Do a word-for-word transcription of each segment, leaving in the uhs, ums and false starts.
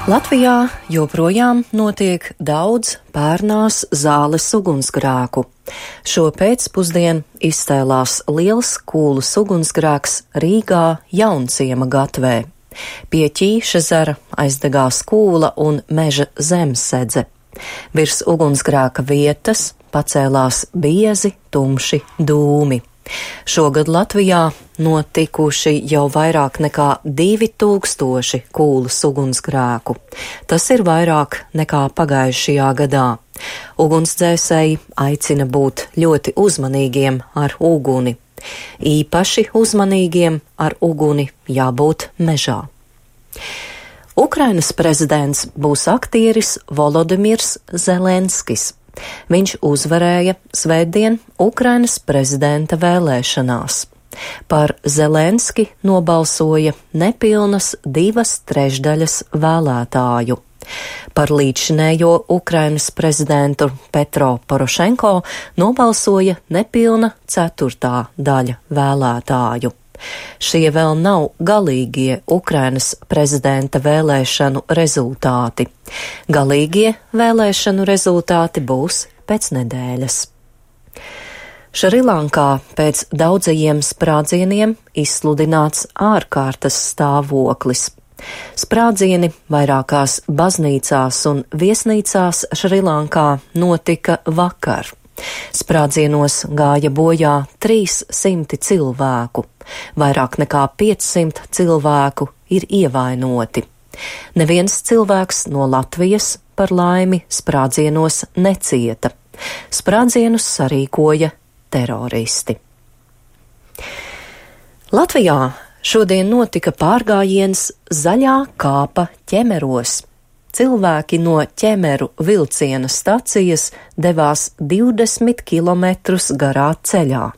Latvijā joprojām notiek daudz pērnās zāles ugunsgrēku. Šo pēcpusdienu izcēlās liels kūlas ugunsgrēks Rīgā Jaunciema gatvē. Pie Ķīšezera aizdegās kūla un meža zemsedze. Virs ugunsgrēka vietas pacēlās biezi, tumši dūmi. Šogad Latvijā notikuši jau vairāk nekā divi tūkstoši kūlas ugunsgrēku. Tas ir vairāk nekā pagājušajā gadā. Ugunsdzēsēji aicina būt ļoti uzmanīgiem ar uguni. Īpaši uzmanīgiem ar uguni jābūt mežā. Ukrainas prezidents būs aktieris Volodimirs Zelenskis. Viņš uzvarēja svētdien Ukrainas prezidenta vēlēšanās. Par Zelenski nobalsoja nepilnas divas trešdaļas vēlētāju. Par līdzšinējo Ukrainas prezidentu Petro Porošenko nobalsoja nepilna ceturtā daļa vēlētāju. Šie vēl nav galīgie Ukrainas prezidenta vēlēšanu rezultāti. Galīgie vēlēšanu rezultāti būs pēc nedēļas. Šrilankā pēc daudzajiem sprādzieniem izsludināts ārkārtas stāvoklis. Sprādzieni vairākās baznīcās un viesnīcās Šrilankā notika vakar. Sprādzienos gāja bojā trīs simti cilvēku, vairāk nekā piecsimt cilvēku ir ievainoti. Neviens cilvēks no Latvijas par laimi sprādzienos necieta. Sprādzienus sarīkoja teroristi. Latvijā šodien notika pārgājiens Zaļā kāpa ķemeros. Cilvēki no ķemeru vilciena stacijas devās divdesmit kilometrus garā ceļā.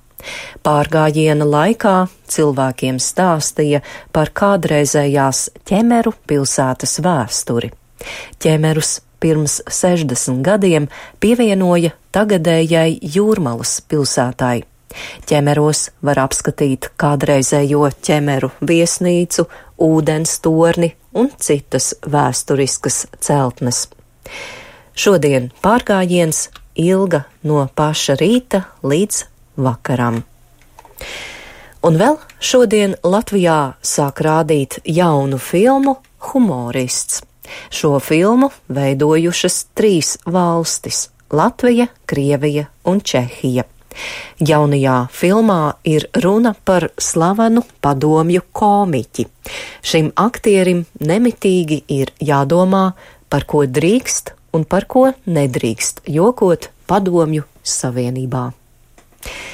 Pārgājiena laikā cilvēkiem stāstīja par kādreizējās ķemeru pilsētas vēsturi. Ķemerus pirms sešdesmit gadiem pievienoja tagadējai Jūrmalas pilsētai. Ķemeros var apskatīt kādreizējo ķemeru viesnīcu, ūdens torni un citas vēsturiskas celtnes. Šodien pārgājiens ilga no paša rīta līdz vakaram. Un vēl šodien Latvijā sāk rādīt jaunu filmu Humorists. Šo filmu veidojušas trīs valstis – Latvija, Krievija un Čehija. Jaunajā filmā ir runa par slavenu padomju komiķi. Šim aktierim nemitīgi ir jādomā, par ko drīkst un par ko nedrīkst jokot padomju savienībā.